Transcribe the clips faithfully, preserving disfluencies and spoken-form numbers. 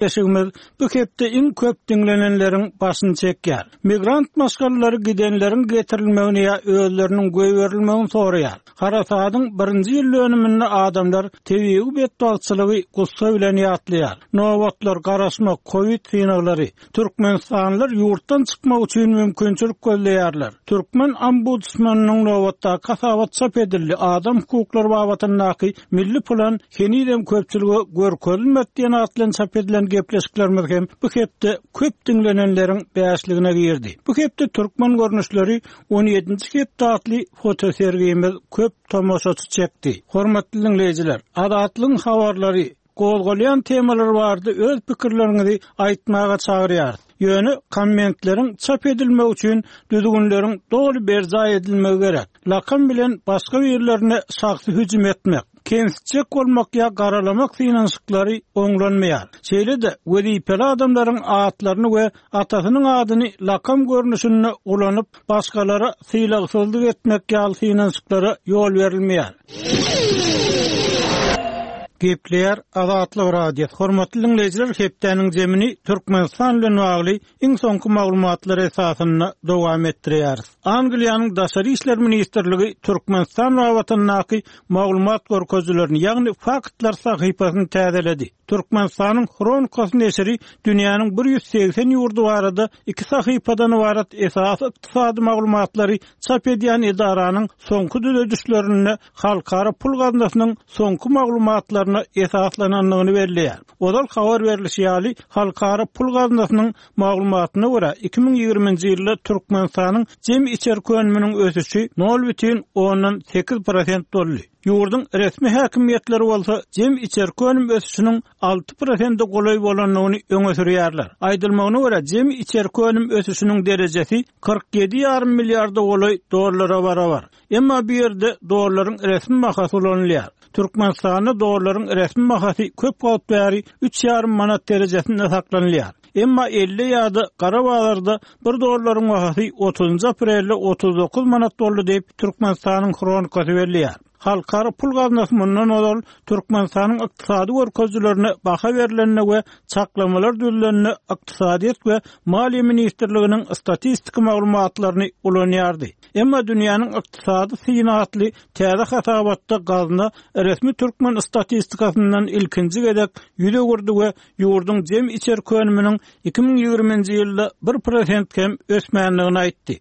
Gepleşigimiz bu hepde iň köp diňlenenleriň başyny çekýär. Migrant maşgalalary gidenleriň getirilmegini ýa özleriniň goýberilmegini soraýar. Harasadyň birinji ýyl dönüminde adamlar tebigy betbagtçylygy gussa bilen ýatlaýar. Nobatlar, garaşmak, Covid synaglary. Türkmenistanlylar ýurtdan çykmak üçin mümkinçilik gözleýärler. Türkmen ombudsmanynyň nobatdaky hasabat çap edildi. Adam hukuklary babatyndaky milli plan henizem köpçülige görkezilmedi diýen at bilen çap edilen gepleşiklerimiz hem bu hepde köp diňlenenleriň bäşligine girdi. Bu hepde türkmen görnüşleri on ýedinji hepde atly fotosergimiz köp tomaşaçy çekdi. Hormatly dinleýjiler, Azatlygyň habarlary, gozgalýan temalar bardy, öz pikirleriňizi aýtmaga çagyrýarys. Ýöne kommentleriň çap edilmegi üçin düzgünleriň doly berjaý edilmegi gerek. Lakam bilen başga birlerine şahsy hüjüm etmek, kemsitjek bolmak ýa garalamak synanyşyklary oňlanmaýar. Şeýle-de wezipeli adamlaryň atlaryny we atasynyň adyny lakam görnüşinde ulanyp, başgalara sylagsyzlyk etmek ýaly synanyşyklara ýol berilmeýär. Gepleýär Azatlyk Radiosy. Hormatly dinleýjiler, hepdäniň zemini Türkmenistan bilen bagly iň soňky maglumatlar esasynda dowam etdirýäris. Angliýanyň Daşary işler ministrligi Türkmenistan babatyndaky maglumat görkezijilerini, ýagny faktlar sahypasyny täzeledi. Türkmenistanyň Hronikasy neşiri dünýäniň bir ýüz segsen ýurdy barada iki sahypadan ibarat esasy ykdysady maglumatlary çap edýän edaranyň soňky düzedişlerinde halkara pul gaznasynyň soňky maglumatlaryna esaslanandygyny belleýär. Ozal habar berilişi ýaly, halkara pul gaznasynyň maglumatyna görä iki müň ýigriminji ýylda Türkmenistanyň jemi içerki önüminiň ösüşi nol bütin ondan sekiz prosent boldy. Ýurduň resmi häkimiýetleri bolsa jemi içerki önüm ösüşiniň alty prosente golaý bolandygyny öňe sürýärler. Aýdylmagyna görä jemi içerki önüm ösüşiniň derejesi kyrk ýedi ýarym milliarda golaý dollara barabar. Emma bu ýerde dollaryň resmi bahasy ulanylýar. Türkmenistanda dollaryň resmi bahasy köp wagt bäri üç ýarym manat derejesinde saklanylýar. Emma elli ýa-da gara bazarda bir dollaryň bahasy otuzynjy aprelde otuz dokuz manat boldy diýip Türkmenistanyň Hronikasy belleýär. Halkara pul gaznasy mundan ozal Türkmenistanyň ykdysady görkezijilerine baha berilende we çaklamalar düzülende Ykdysadyýet we Maliýe ministrliginiň statistik maglumatlaryny ulanýardy. Emma dünýäniň ykdysady syny atly täze hasabatda gazna resmi türkmen statistikasyndan ilkinji gezek ýüz öwürdi we ýurduň jemi içerki önüminiň iki müň ýigriminji ýylda bir prosent hem ösmändigini aýtdy.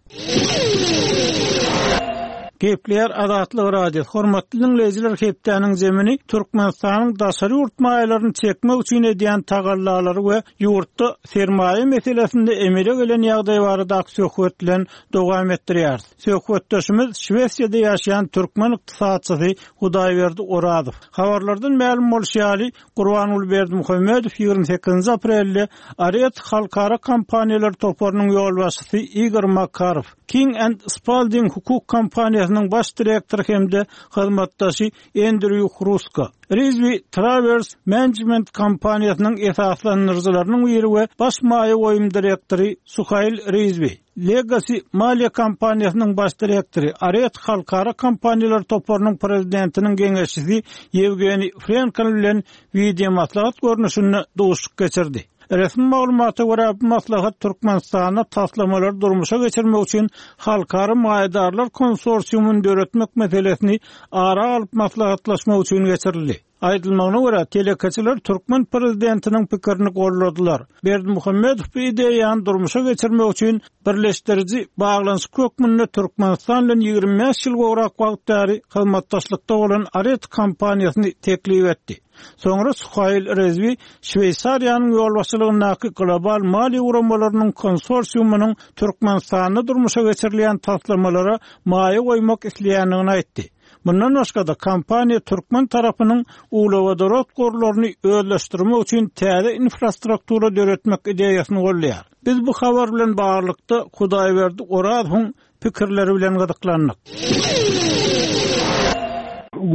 Gepleýär Azatlyk Radiosy. Hormatly dinleýjiler, hepdäniň zemini Türkmenistanyň daşary ýurt maýalaryny çekmek üçin edýän tagallalary we ýurtda sermaýa meselesinde emele gelen ýagdaý baradaky söhbet bilen dowam etdirýäris. Söhbetdeşimiz Şwesiýada ýaşaýan türkmen ykdysatçysy Hudaýberdi Orazow. Habarlardan mälim bolşy ýaly, Gurbanguly Berdimuhamedow ýigrimi sekizinji aprelde Aret halkara kompaniýalar toparynyň ýolbaşçysy Igor Makarow, King and Spalding hukuk kompaniýasynyň baş direktory hem-de hyzmatdaşy Andrew Hruska, Rizvi Travers Management kompaniýasynyň esaslandyryjylarynyň biri we baş maýa goýum direktory Suhail Rizvi, Legacy maliýe kompaniýasynyň baş direktory, Aret halkara kompaniýalar toparynyň prezidentiniň geňeşçisi Ýewgeniý Frenkel bilen video maslahat görnüşinde duşuşyk geçirdi. Resmi maglumata görä bu maslahat Türkmenistanda taslamalary durmuşa geçirmek üçin halkara maýadarlar konsorsiumyny döretmek meselesini ara alyp maslahatlaşmak üçin geçirildi. Aýdylmagyna görä telekeçiler türkmen prezidentiniň pikirini golladylar. Berdimuhamedow bu ideýany durmuşa geçirmek üçin birleşdiriji baglanyşyk hökmünde Türkmenistan bilen ýigrimi bäş ýyl gowrak wagt bäri hyzmatdaşlykda bolan Aret kompaniýasyny teklip etdi. Soňra Suhail Rezvi Şweýsariýanyň ýolbaşçylygyndaky global maliýe guramalarynyň konsorsiumynyň Türkmenistanda durmuşa geçirilýän taslamalara maýa goýmak isleýändigini aýtdy. Mundan başga-da kompaniýa türkmen tarapynyň uglewodorod gorlaryny özleşdirmek üçin täze infrastruktura döretmek ideýasyny gollaýar. Biz bu habar bilen baglylykda Hudaýberdi Orazowyň pikirleri bilen gyzyklandyk.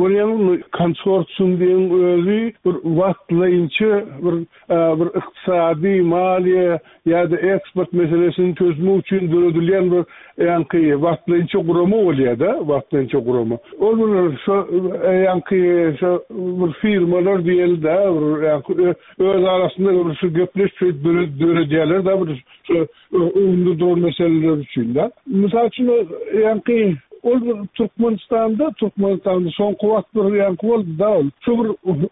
Görýäňmi, konsorsium diýen özi bir wagtlaýynça bir bir ykdysady, maliýe ýa-da eksport meselesini çözmek üçin döredilýän bir ýaňky wagtlaýynça gurama bolýar-da, wagtlaýynça gurama. Ol bir şo ýaňky şo bir firmalar diýeli-de, bir ýaňky öz arasynda bir şu gepleşip döredýärler-de bir şu öňünde duran meseleler üçin-de. Mysal üçin, ýaňky ol bir Türkmenistanda, Türkmenistanda soňky wagt bir ýaňky boldy da ol. Şu bir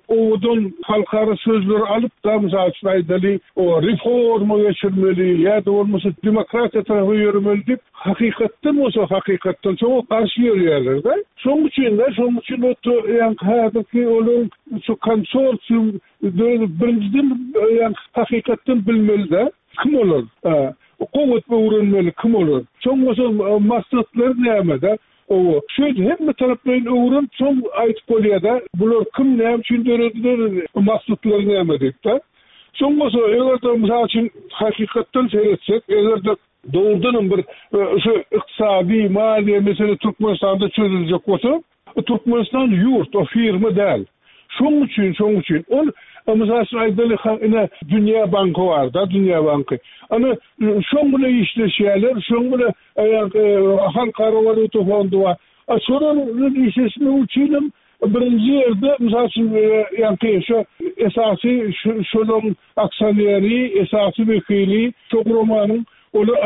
owadan halkara sözleri alyp da mysal üçin aýdaly, o reforma geçirmeli ýa-da bolmasa demokratiýa tarapa ýöremeli diýip, hakykatdan bolsa hakykatdan şoňa garşy ýörýärler da. Şonuň üçin de, şonuň üçin o ýaňky häzirki olaryň şu konsorsium döredip birinjiden ýaňky hakykatdan bilmeli de kim olar? Gowy öwrenmeli kim olar? Soň bolsa maksatlary näme-de? Owa, şu hemme taraplaryny öwrenip soň aýdyp bolýar-da, bular kim näme üçin dörediler, maksatlary näme diýip-de. Soň bolsa eger-de mysal üçin hakykatdan seretsek, eger-de dogrudanam bir şu ykdysady, maliýe mesele Türkmenistanda çözüljek bolsa, Türkmenistan ýurt, o firma däl. Şonuň üçin, şonuň üçin ol mysal üçin aýdaly ine Dünýä banky bar da, Dünýä banky. Ana şoň bilen işleşýärler, şoň bilen Halkara walýuta fondy bar. A şolar bilen işleşmek üçin birinji ýerde mysal üçin ýaňky şu esasy şolaryň aksioneri, esasy wekili şu guramanyň olar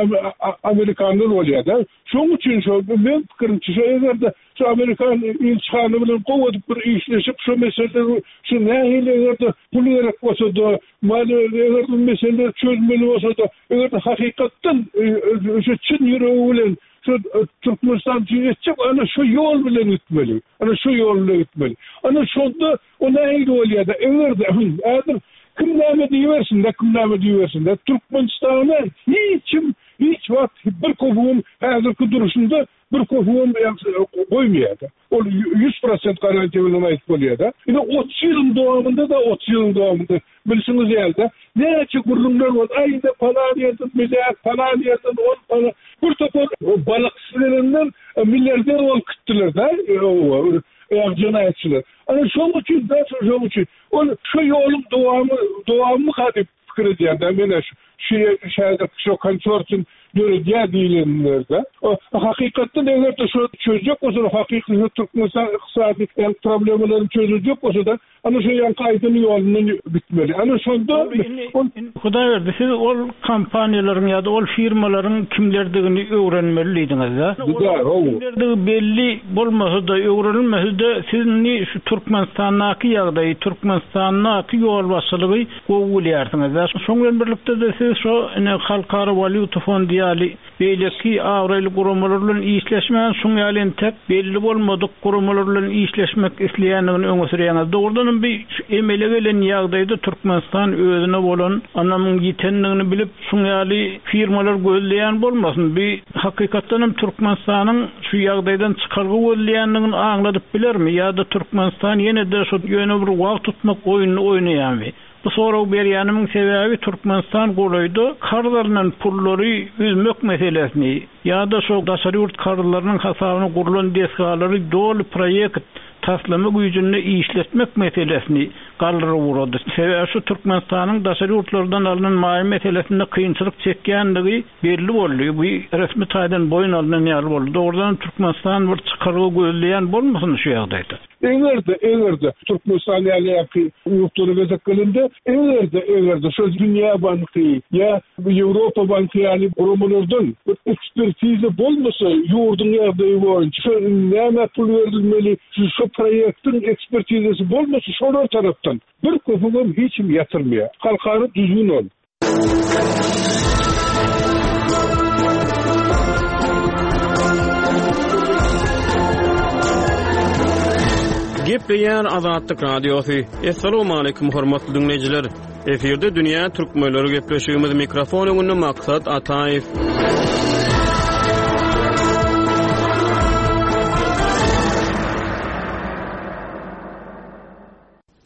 Amerikanlar bolýar-da. Şonuň üçin şo men pikirimçe şu eger-de şu Amerikan ilçihany bilen gowy edip bir işleşip şu meseleleri şu nähili eger-de pul gerek bolsa-da, maliýe eger meseleleri çözmeli bolsa-da, eger-de hakykatdan şu çyn ýüregi bilen şu Türkmenistan üçin etjek, ana şu ýol bilen gitmeli. Ana şu ýol bilen gitmeli. Ana şonda o nähili bolýar-da, eger-de häzir kim näme diýibersin-de, kim näme diýibersin-de, Türkmenistana hiç kim hiç wagt bir köpügem häzirki duruşunda bir köpügem goýmaýar-da. Ol ýüz prosent garantiýa bilen aýdyp bolýar-da. Ine otuz ýylyň dowamynda da otuz ýylyň dowamynda bilşiňiz ýaly-da, näçe gürrüňler boldy. Aý, ine falan ýerden milliard, falan ýerden on falan. Bir topar balykçy gelenden milliarder bolup gitdiler-de, jenaýatçylar. Ana şonuň üçin, da şonuň üçin ol şu ýoluň dowamy, dowamyka diýip pikir edýän-de, men şu şu şäherde şu konsorsium döredýär diýilenlerde. O hakykatdan eger-de şu çözjek bolsa, hakyky Türkmenistan ykdysady problemalaryny çözüljek bolsa-da, ana şu ýaňky aýdyň ýolundan gitmeli. Ana şonda ol Hudaýberdi, siz ol kompaniýalaryň ýa-da ol firmalaryň kimlerdigini öwrenmeli diýdiňiz-de. Kimlerdigi belli bolmasa-da, öwrenilmese-de, siz indi şu Türkmenistandaky ýagdaýy, Türkmenistandaky ýolbaşçylygy gowy bilýärsiňiz-de. Şoň bilen birlikde-de siz şu ine Halkara walýuta fondy ýaly beýleki abraýly guramalar bilen işleşmän, şuň ýaly entek belli bolmadyk guramalar bilen işleşmek isleýändigini öňe sürýäňiz. Dogrudanam bir şu emele gelen ýagdaýda Türkmenistan özüne bolan ynamyň ýitendigini bilip, şuň ýaly firmalar gözleýän bolmasyn. Bir hakykatdanam Türkmenistanyň şu ýagdaýdan çykalga gözleýändigini aňladyp bilermi ýa-da Türkmenistan ýene-de şu ýöne bir wagt tutmak oýnuny oýnaýarmy? Bu sorag berýänimiň sebäbi Türkmenistan golaýda karz alynan pullary üzmek meselesini ýa-da şu daşary ýurt karzlarynyň hasabyna gurlan desgalary doly proýekt taslama güýjünde işletmek meselesini galdyryp ugrady. Sebäbi şu Türkmenistanyň daşary ýurtlardan alynan maýa meselesinde kynçylyk çekýändigi belli boldy. Bu resmi taýdan boýun alynan ýaly boldy. Dogrudan Türkmenistan bir çykalga gözleýän bolmasyn şu ýagdaýda. Eger-de, eger-de Türkmenistan ýaly ýaky ýurtlara gezek gelende, eger-de, eger-de şu Dünýä banky ýa Ýewropa banky ýaly guramalardan bir ekspertiza bolmasa, ýurduň ýagdaýy boýunça şu näme pul berilmeli, şu, şu proýektiň ekspertizasy bolmasa, şolar tarapdan bir köpügem hiç kim ýatyrmaýar. Halkara düzgün ol. Gepleýär Azatlyk Radiosy. Essalamu aleýkum hormatly dinleýjiler. Efirde Dünýä Türkmenleri gepleşigimiz mikrofon öňünde Maksat Ataýew.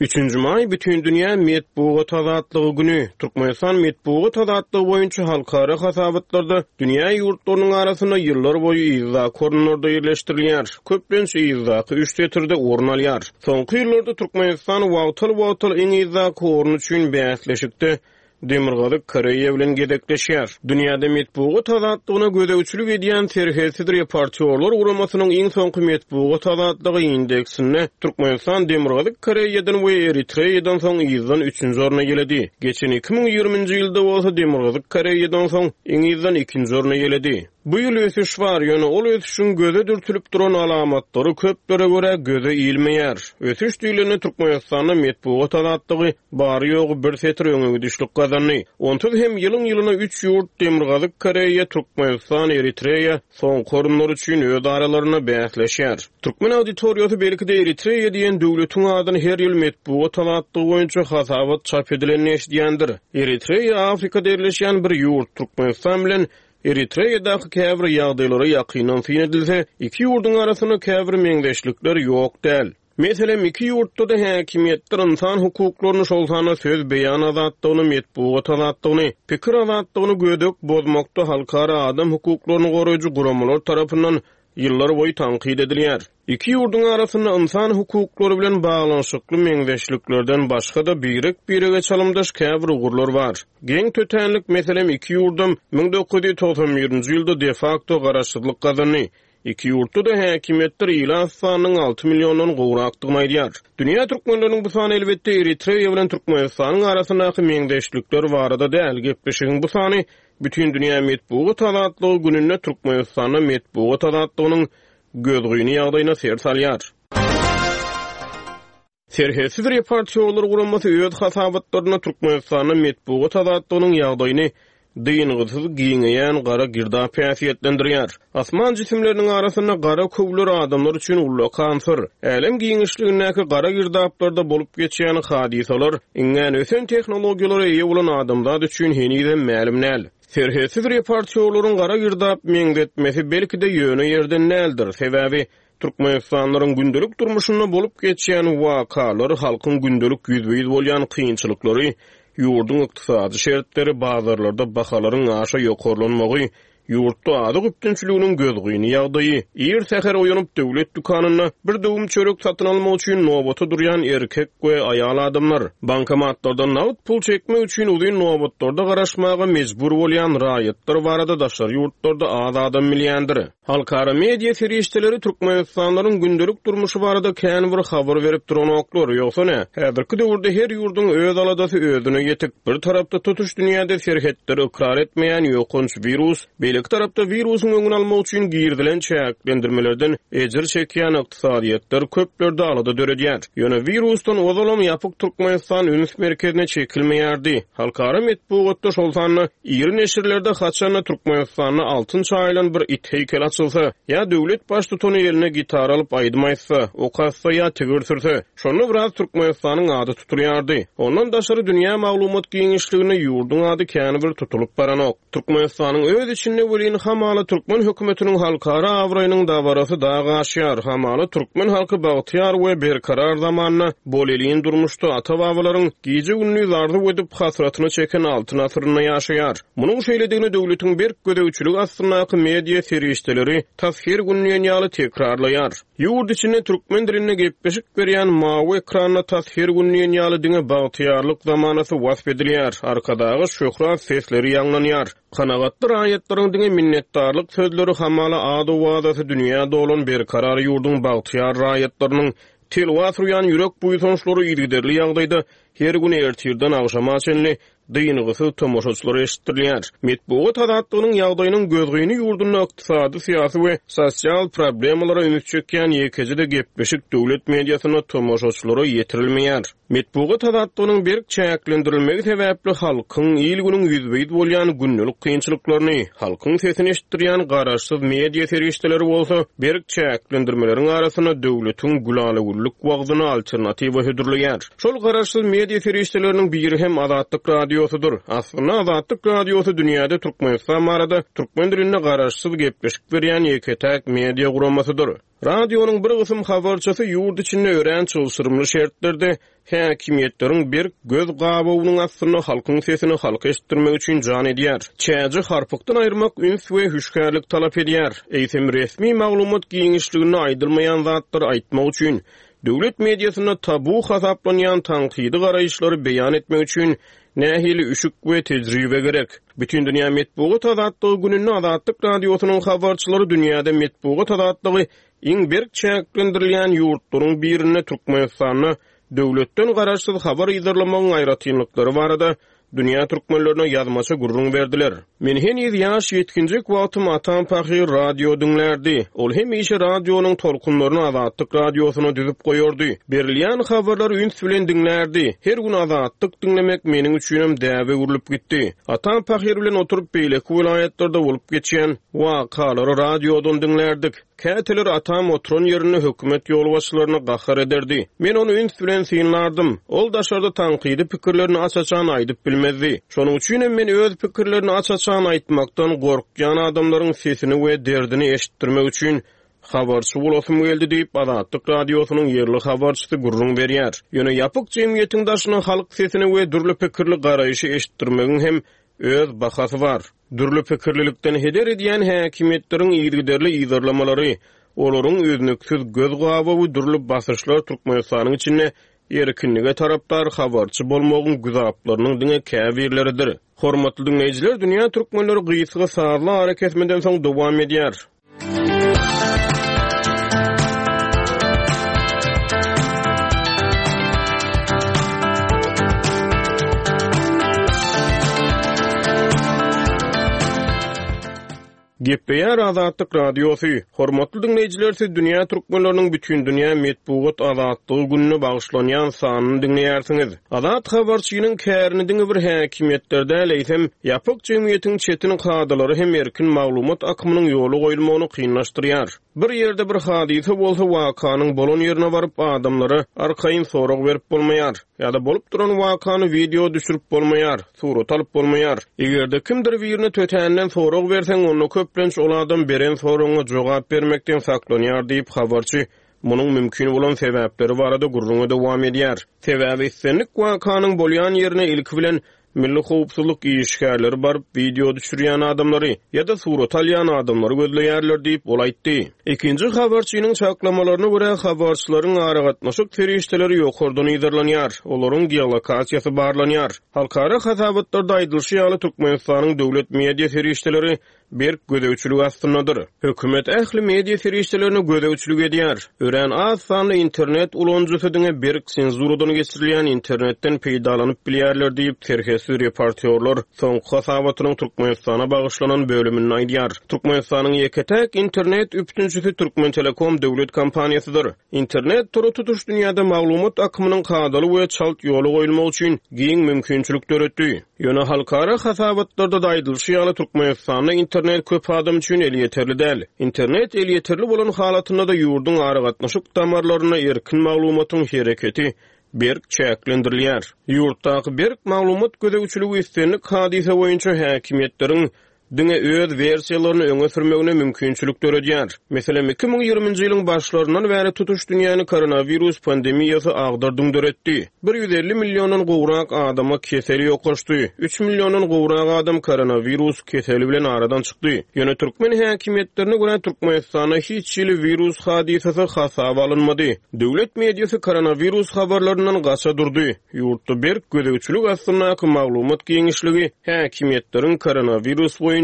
Üçünji maý Bütindünýä metbugat azatlygy güni. Türkmenistan metbugat azatlygy boýunça halkara hasabatlarda dünýä ýurtlarynyň arasynda ýyllar boýy yzdaky orunlarda ýerleşdirilýär. Köplenç yzdaky üç setirde orun alýar. Soňky ýyllarda Türkmenistan wagtal-wagtal iň yzdaky orun üçin bäsleşikde Demirgazyk Koreýa bilen gezekleşýär. Dünýäde metbugat azatlygyna gözegçilik edýän Serhetsiz reportýorlar guramasynyň iň soňky metbugat azatlygy indeksinde Türkmenistan Demirgazyk Koreýadan we Eritreýadan soň yzdan üçünji orna ýeledi. Geçen iki müň ýigriminji ýylda bolsa Demirgazyk Koreýadan soň iň yzdan ikinji orna ýeledi. Bu ýyl ösüş bar, ýöne ol ösüşiň göze dürtülip duran alamatlary köplere görä göze ilmeýär. Ösüş diýlende Türkmenistanda metbugat azatlygy bary ýogy bir setir öňe gidişlik gazandy. Onsuz hem ýylyň ýylyna üç ýurt Demirgazyk Koreýa, Türkmenistan, Eritreýa soňky orunlar üçin öz aralarynda bäsleşýär. Türkmen auditoriýasy belki-de Eritreýa diýen döwletiň adyny her ýyl metbugat azatlygy boýunça hasabat çap edilenini eşidýändir. Eritreýa Afrikada ýerleşýän bir ýurt, Türkmenistan bilen Eritreýadaky käbir ýagdaýlara ýakyndan syn edilse, iki ýurduň arasynda käbir meňzeşlikler ýok däl. Meselem, iki ýurtda-da häkimiýetler insan hukuklaryny, şol sanda söz beýan azatlygyny, metbugat azatlygyny, pikir azatlygyny gödek bozmakda halkara adam hukuklaryny goraýjy guramalar tarapyndan ýyllar boýy tankyt edilýär. Iki ýurduň arasynda insan hukuklary bilen baglanyşykly meňzeşliklerden başga-da birek-birege çalymdaş käbir ugurlar bar. Geň tötänlik, meselem, iki ýurdam müň dokuz ýüz togsan birinji ýylda de facto garaşsyzlyk gazandy. Iki ýurtda-da häkimiýetler ilat sanynyň alty milliondan gowrakdygyny aýdýar. Dünýä türkmenleriniň bu sany elbetde Eritreýa bilen Türkmenistanyň arasyndaky meňzeşlikler barada däl. Gepleşigiň bu sany bütün dünýä metbugat azatlygy gününde Türkmenistanda metbugat azatlygynyň gözgyny ýagdaýyna ser salýar. Serhetsiz reportýorlar guramasy öz hasabatlarynda Türkmenistanda metbugat azatlygynyň ýagdaýyny dyngysyz giňeýän gara girdap häsiýetlendirýär. Asman jisimleriniň arasynda gara köwler adamlar üçin ullakan syr. Älem giňişligindäki gara girdaplarda bolup geçýän hadysalar iňňän ösen tehnologiýalara eýe bolan adamzat üçin henizem mälim däl. Serhetsiz reportýorlaryň gara girdap meňzetmesi belki-de ýöne ýerden däldir. Sebäbi Türkmenistanlylaryň gündelik durmuşynda bolup geçýän wakalar, halkyň gündelik ýüzbe-ýüz bolýan kynçylyklary, ýurduň ykdysady şertleri, bazarlarda bahalaryň aşa ýokarlanmagy, ýurtda azyk üpjünçiliginiň gözgyny ýagdaýy, ir säher oýanyp döwlet dükanynda bir döwüm çörek satyn almak üçin nobata durýan erkek we aýal adamlar, bankomatlardan nagt pul çekmek üçin uzyn nobatlarda garaşmaga mejbur bolýan raýatlar barada daşary ýurtlarda az adam bilýändir. Halkara media serişdeleri Türkmenistanlylaryň gündelik durmuşy barada kän bir habar berip duranoklar. Ýogsa ne? Häzirki döwürde her ýurduň öz aladasy özüne ýetik. Bir tarapda tutuş dünýäde serhetleri ykrar etmeýän ýokanç wirus, beýleki tarapda wirusyň öňüni almak üçin girizilen çäklendirmelerden ejir çekýän ykdysadyýetler köplerde alada döredýär. Ýöne wirusdan ozalam ýapyk Türkmenistan üns merkezine çekilmeýärdi. Halkara metbugatda şol sanda iri neşirlerde haçanda Türkmenistanda altyn çaýylan bir it heýkel açylsa, ýa döwlet baştutany eline gitar alyp aýdym aýtsa, ok atsa ýa tigir sürse, şonda biraz Türkmenistanyň ady tutulýardy. Ondan daşary dünýä maglumat giňişliginde ýurduň ady kän bir tutulyp baranok. Türkmenistanyň öz içinde welin hamala türkmen hökümetiniň halkara abraýynyň dabarasy dag aşýar. Hamala türkmen halky bagtyýar we berkarar zamanda bolelin durmuşda ata-babalaryň gije-gündiz arzuw edip hasratyny çeken altyn asyrynda ýaşaýar. Munuň şeýledigini döwletiň berk gözegçiligi astyndaky media serişdeleri tas her gün diýen ýaly tekrarlaýar. Ýurt içinde türkmen dilinde gepleşik berýän mawy ekranda tas her gün diýen ýaly diňe bagtyýarlyk zamanasy wasp edilýär. Arkadagy şöhrat sesleri ýaňlanýar. Kanagatly raýatlaryň diňe minnetdarlyk sözleri hamala ady-owazasy dünýä dolan berkarar ýurduň bagtyýar raýatlarynyň telwa sürýän ýürek buýsançlary yzygiderli ýagdaýda her gün ertirden agşama çenli dyngysyz tomaşaçylara eşitdirilýär. Metbugat azatlygynyň ýagdaýynyň gözgyny ýurdunda ykdysady, syýasy we sosial problemalara üns çekýän ýekeje-de gepleşik döwlet mediasynda tomaşaçylara ýetirilmeýär. Metbugat azatlygynyň berk çäklendirilmegi sebäpli halkyň il-günüň ýüzbe-ýüz bolýan gündelik kynçylyklaryny, halkyň sesini eşitdirýän garaşsyz media serişdeleri bolsa berk çäklendirmeleriň arasynda döwletiň gülalagüllük wagzyny alternatiwa hödürleýär. Şol garaşsyz media serişdeleriniň biri hem Azatlyk Radiosydyr. Aslynda Azatlyk Radiosy dünýäde Türkmenistan barada türkmen dilinde garaşsyz gepleşik berýän ýeke-täk media guramasydyr. Radionyň bir gysym habarçysy ýurt içinde örän çylşyrymly şertlerde häkimiýetleriň berk göz gabawynyň astynda halkyň sesini halka eşitdirmek üçin jan edýär. Çäji harpykdan aýyrmak üns we hüşgärlik talap edýär. Eýsem resmi maglumat giňişliginde aýdylmaýan zatlary aýtmak üçin döwlet mediasynda tabu hasaplanýan tankydy garaýyşlary beýan etmek üçin nähili üşük we tejribe gerek. Bütün dünýä metbugat azatlygy gününde Azatlyk Radiosynyň habarçylary dünýäde metbugat azatlygy iň berk çäklendirilýän ýurtlaryň birinde Türkmenistanda döwletden garaşsyz habar yzarlamagyň aýratynlyklary barada dünýä türkmenlerine ýazmaça gürrüň berdiler. Men heniz ýaş ýetginjek wagtym atam pahyr radio diňlerdi. Ol hemişe radionyň tolkunlaryny Azatlyk Radiosyna düzüp goýardy. Berilýän habarlary üns bilen diňlerdi. Her gün Azatlyk diňlemek meniň üçinem däbe öwrülip gitdi. Atam pahyr bilen oturyp beýleki welaýatlarda bolup geçýän wakalary radiodan diňlerdik. Käteler atam oturan ýerinde hökümet ýolbaşçylaryna gahar ederdi. Men ony üns bilen synlardym. Ol daşarda tankydy pikirlerini aç-açan aýdyp bilmezdi. Şonuň üçin hem men öz pikirlerini aç-açan aýtmakdan gorkýan adamlaryň sesini we derdini eşitdirmek üçin habarçy bolasym geldi diýip Azatlyk Radiosynyň ýerli habarçysy gürrüň berýär. Ýöne ýapyk jemgyýetiň daşyna halk sesini we dürli pikirli garaýşy eşitdirmegiň hem öz bahasy bar. Dürli pikirlilikden heder edýän häkimiýetleriň yzygiderli yzarlamalary, olaryň üznüksiz göz gabawy dürli basyşlar Türkmenistanyň içinde erkinlige tarapdar habarçy bolmagyň güzaplarynyň diňe käbirleridir. Hormatly dinleýjiler, dünýä türkmenleri gysga sazly ara kesmeden soň dowam edýär. Gepleýär Azatlyk Radiosy. Hormatly dinleýjiler, siz dünýä türkmenleriniň bütün dünýä metbugat azatlygy gününe bagyşlanýan sanyny diňleýärsiňiz. Azat habarçynyň kärini diňe bir häkimiýetler däl, eýsem, ýapyk jemgyýetiň çetin kadalary hem erkin maglumat akymynyň ýoly goýulmagyny kynlaşdyrýar. Bir ýerde bir hadysa bolsa wakanyň bolan ýerine baryp adamlara arkaýyn sorag berip bolmaýar ýa-da bolup duran wakany video düşürip bolmaýar, surat alyp bolmaýar. Eger-de kimdir birine tötänden sorag berseň, onda köplenç ol adam beren soragyňa jogap bermekden saklanýar diýip habarçy munuň mümkin bolan sebäpleri barada gürrüňe dowam edýär. Sebäbi islendik wakanyň bolýan ýerine ilki bilen milli howpsuzlyk işgärleri baryp video düşürýän adamlary ýa-da surat alýan adamlary gözleýärler diýip ol aýtdy. Ikinji habarçynyň çaklamalaryna görä habarçylaryň aragatnaşyk serişdeleri ýokardan yzarlanýar, olaryň geolokasiýasy barlanýar. Halkara hasabatlarda aýdylyşy ýaly Türkmenistanyň döwlet media serişdeleri berk gözegçilik astyndadyr. Hökümet ähli media serişdelerini gözegçilik edýär. Örän az sanly internet ulanyjysy diňe berk senzuradan geçirilýän internetden peýdalanyp bilýärler diýip serhetsiz reportýorlar soňky hasabatynyň Türkmenistana bagyşlanan bölüminde aýdýar. Türkmenistanyň ýeke-täk internet üpjünçisi Türkmen Telekom döwlet kompaniýasydyr. Internet tory tutuş dünýäde maglumat akymynyň kadaly we çalt ýola goýulmagy üçin giň mümkinçilik döretdi. Ýöne halkara hasabatlarda da aýdylyşy ýaly Türkmenistanda internet köp adam üçin elýeterli däl. Internet elýeterli bolan halatynda da ýurduň aragatnaşyk damarlaryna erkin maglumatyň hereketi berk çäklendirilýär. Ýurtdaky berk maglumat gözegçiligi islendik hadysa boýunça häkimiýetleriň diňe öz wersiýalaryny öňe sürmegine mümkinçilik döredýär. Meselem, iki müň ýigriminji ýylyň başlaryndan bäri tutuş dünýäni koronawirus pandemiýasy agdardyň döretdi. bir ýüz elli milliondan gowrak adama keseli ýokaşdy. üç milliondan gowrak adam koronawirus keseli bilen aradan çykdy. Ýöne türkmen häkimiýetlerine görä Türkmenistanda hiç hili wirus hadysasy hasaba alynmady. Döwlet mediasy koronawirus habarlaryndan gaça durdy. Ýurtda berk gözegçilik astyndaky maglumat giňişligi häkimiýetleriň koronawirus boýunça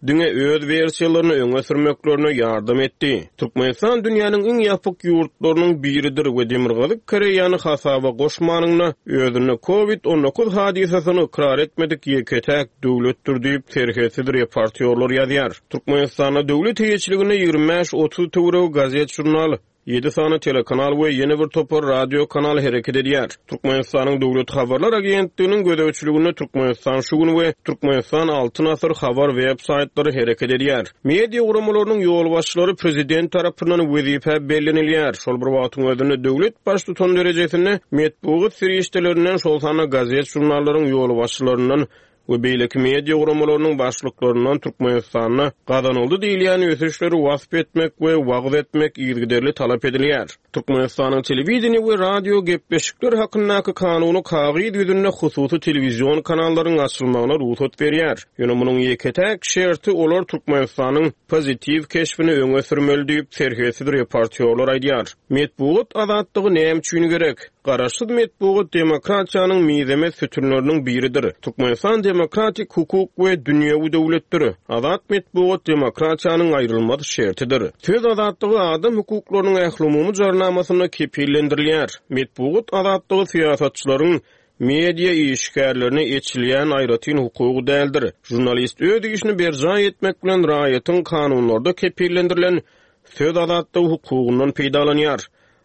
diňe öz wersiýalaryny öňe sürmeklerine ýardam etdi. Türkmenistan dünýäniň iň ýapyk ýurtlarynyň biridir we Demirgazyk Koreýany hasaba goşmanyna özünde COVID on dokuz hadysasyny ykrar etmedik ýeke-täk döwletdir diýip serhetsiz reportýorlar ýazýar. Türkmenistanda döwlet eýeçiliginde ýigrimi bäş otuz töweregi gazet, žurnal, ýedi sany telekanal we ýene bir topar radio kanal hereket edýär. Türkmenistanyň Döwlet habarlar agentliginiň gözegçiliginde Türkmenistan şu gün we Türkmenistan Altyn asyr habar web saýtlary hereket edýär. Media guramalarynyň ýolbaşçylary prezident tarapyndan wezipä bellenilýär. Şol bir wagtyň özünde döwlet baştutan derejesinde metbugat serişdelerinden, şol sanda gazet-žurnallaryň ýolbaşçylaryndan we beýleki media guramalarynyň başlyklaryndan Türkmenistanda gazanyldy diýilýän ösüşleri wasp etmek we wagyz etmek yzygiderli talap edilýär. Türkmenistanyň telewideniýe we radio gepleşikler hakyndaky kanuny kagyz ýüzünde hususy telewizion kanallaryň açylmagyna rugsat berýär. Ýöne munuň ýeke-täk şerti olar Türkmenistanyň pozitiw keşbini öňe sürmeli diýip, serhetsiz reportýorlar aýdýar. Metbugat azatlygy näme üçin gerek? Garaşsyz metbugat demokratiýanyň mizemez sütünleriniň biridir. Türkmenistan demokratik hukuk we dünýewi döwletdir. Azat metbugat demokratiýanyň aýrylmaz şertidir. Söz azatlygy adam hukuklarynyň ählumumy jarnamasynda kepillendirilýär. Metbugat azatlygy syýasatçylaryň media işgärlerine eçilýän aýratyn hukugy däldir. Žurnalist öz işini berjaý etmek bilen raýatyň kanunlarda kepillendirilen söz azatlygy hukugyndan peýdalanýar.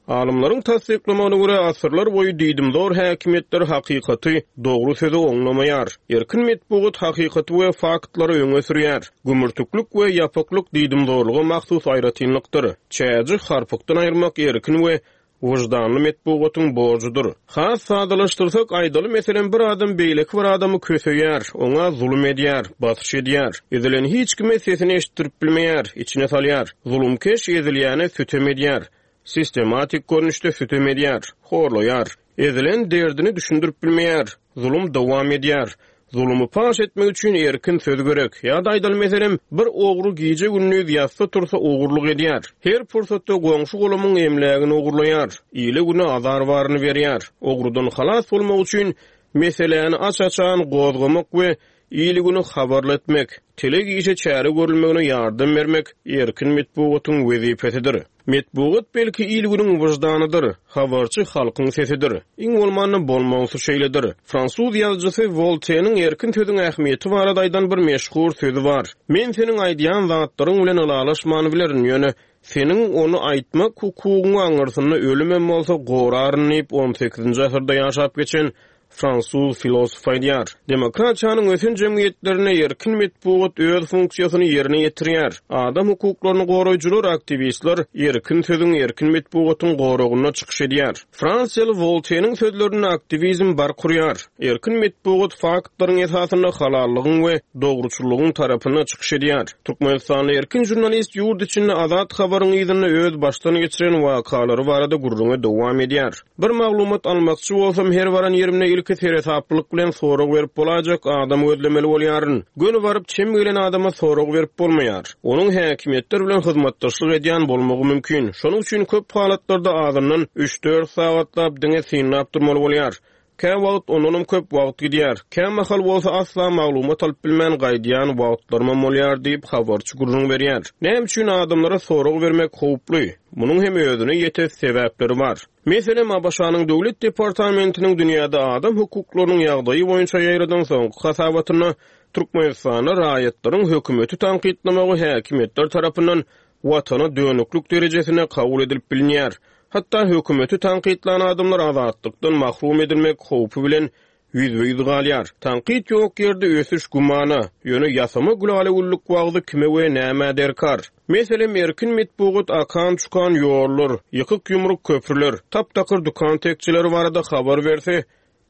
Alymlaryň tassyklamagyna görä, asyrlar boýy diýdimzor häkimiýetler hakykaty, dogry sözi oňlamaýar. Erkin metbugat hakykaty we faktlary öňe sürýär. Gümürtiklik we ýapyklyk diýdimzorluga mahsus aýratynlykdyr. Çäji harpykdan aýyrmak erkin we wyždanly metbugatyň borjudyr. Has sadalaşdyrsak, aýdaly, meselem, bir adam beýleki bir adamy köseýär, oňa zulum edýär, basyş edýär. Ezilen hiç kime sesini eşitdirip bilmeýär, içine salýar. Zulumkeş ezilýäne sütem edýär. Sistematik görnüşde sütem edýär, horlaýar. Ezilen derdini düşündirip bilmeýär. Zulum dowam edýär. Zulumy paş etmek üçin erkin söz gerek. Ýa-da aýdaly, meselem, bir ogry gije-gündiz ýatsa tursa ogurlyk edýär. Her pursatda goňşy-golamyň emlägini ogurlaýar. Ile-güne azar baryny berýär. Ogrudan halas bolmak üçin meseläni aç-açan gozgamak we il-güni habarly etmek, telek işe çäre görülmegine ýardam bermek erkin metbugatyň wezipesidir. Metbugat belki il-günüň wyždanydyr, habarçy halkyň sesidir. Iň bolmanda bolmalysy şeýledir. Fransuz ýazyjysy Wolteniň erkin sözüň ähmiýeti barada aýdan bir meşhur sözi bar. Men seniň aýdýan zatlaryň bilen ylalaşman bilerin, ýöne seniň ony aýtmak hukugyňy aňyrsynda ölümem bolsa goraryn diýip, on sekizinji asyrda ýaşap geçen fransuz filosof aýdýar. Demokratiýanyň ösen jemgyýetlerinde erkin metbugat öz funksiýasyny ýerine ýetirýär. Adam hukuklaryny goraýjylar, aktiwistler erkin sözüň, erkin metbugatyň goragynda çykyş edýär. Fransiýaly Wolteniň sözlerinde aktiwizm bark urýar. Erkin metbugat faktlaryň esasynda halallygyň we dogruçyllygyň tarapynda çykyş edýär. Türkmenistanly erkin žurnalist ýurt içinde azat habaryň yzynda öz başdan geçiren wakalary barada gürrüňe dowam edýär. Bir maglumat almakçy bolsam, her baran ýerimde ilki seresaplylyk bilen sorag berip bolajak adam gözlemeli bolýaryn. Göni baryp çem gelen adama sorag berip bolmaýar. Onuň häkimiýetler bilen hyzmatdaşlyk edýän bolmagy mümkin. Şonuň üçin köp halatlarda azyndan üç-dört sagatlap diňe synlap durmaly bolýar. Kä wagt ondanam köp wagt gidýär. Kä mahal bolsa asla maglumat alyp bilmän gaýdýan wagtlarymam bolýar diýip habarçy gürrüň berýär. Näme üçin adamlara sorag bermek howply? Munuň hem özüne ýete sebäpleri bar. Meselem, A B Ş-nyň Döwlet departamentiniň dünýäde adam hukuklarynyň ýagdaýy boýunça ýaýradan soňky hasabatynda Türkmenistanda raýatlaryň hökümeti tankytlamagy häkimiýetler tarapyndan watana dönüklik derejesine kabul edilip bilinýär. Hatda hökümeti tankytlan adamlar azatlykdan mahrum edilmek howpy bilen ýüzbe-ýüz galýar. Tankyt ýok ýerde ösüş gümana, ýöne ýasama gülala-güllük wagzy kime we nämä derkar? Meselem, erkin metbugat akan-çukan ýollar, ýykyk-ýumruk köprüler, tap-takyr dükan tekçeleri barada habar berse,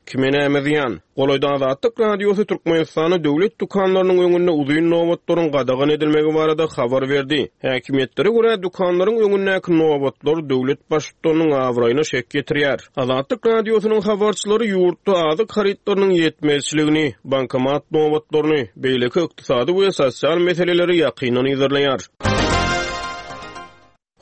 kime näme zyýan? Golaýda Azatlyk Radiosy Türkmenistanda döwlet dükanlarynyň öňünde uzyn nobatlaryň gadagan edilmegi barada habar berdi. Häkimiýetlere görä, dükanlaryň öňündäki nobatlar döwlet baştutanynyň abraýyna şek ýetirýär. Azatlyk Radiosynyň habarçylary ýurtda azyk harytlarynyň ýetmezçiligini, bankomat nobatlaryny, beýleki ykdysady we sosial meseleleri ýakyndan yzarlaýar.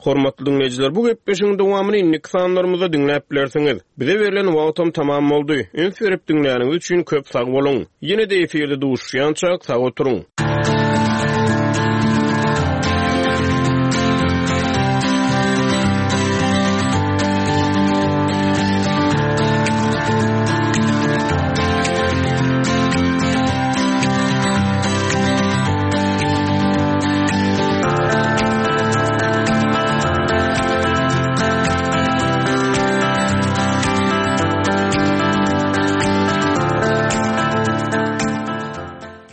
Hormatly dinleýjiler, bu gepleşigiň dowamyny indiki sanlarymyzda diňläp bilersiňiz. Bize berlen wagtam tamam boldy. Üns berip diňläniňiz üçin köp sag boluň. Ýene-de efirde duşuşýançak sag oturyň.